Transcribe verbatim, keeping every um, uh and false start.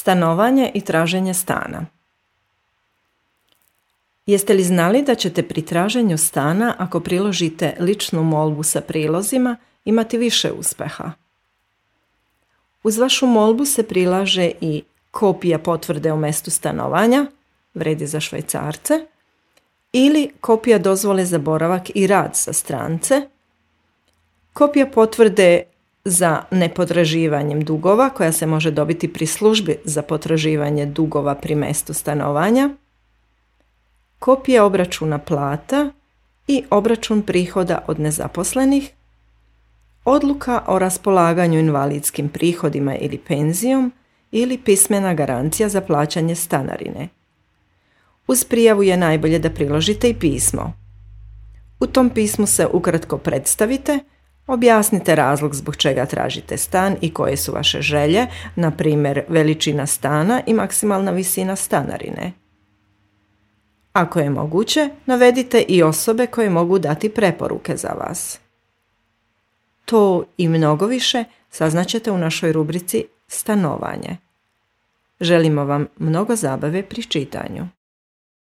Stanovanje i traženje stana. Jeste li znali da ćete pri traženju stana, ako priložite ličnu molbu sa prilozima, imati više uspeha? Uz vašu molbu se prilaže i kopija potvrde o mestu stanovanja, vredi za Švajcarce, ili kopija dozvole za boravak i rad za strance, kopija potvrde za nepotraživanjem dugova koja se može dobiti pri službi za potraživanje dugova pri mestu stanovanja, kopija obračuna plata i obračun prihoda od nezaposlenih, odluka o raspolaganju invalidskim prihodima ili penzijom ili pismena garancija za plaćanje stanarine. Uz prijavu je najbolje da priložite i pismo. U tom pismu se ukratko predstavite, objasnite razlog zbog čega tražite stan i koje su vaše želje, na primjer veličina stana i maksimalna visina stanarine. Ako je moguće, navedite i osobe koje mogu dati preporuke za vas. To i mnogo više saznaćete u našoj rubrici Stanovanje. Želimo vam mnogo zabave pri čitanju.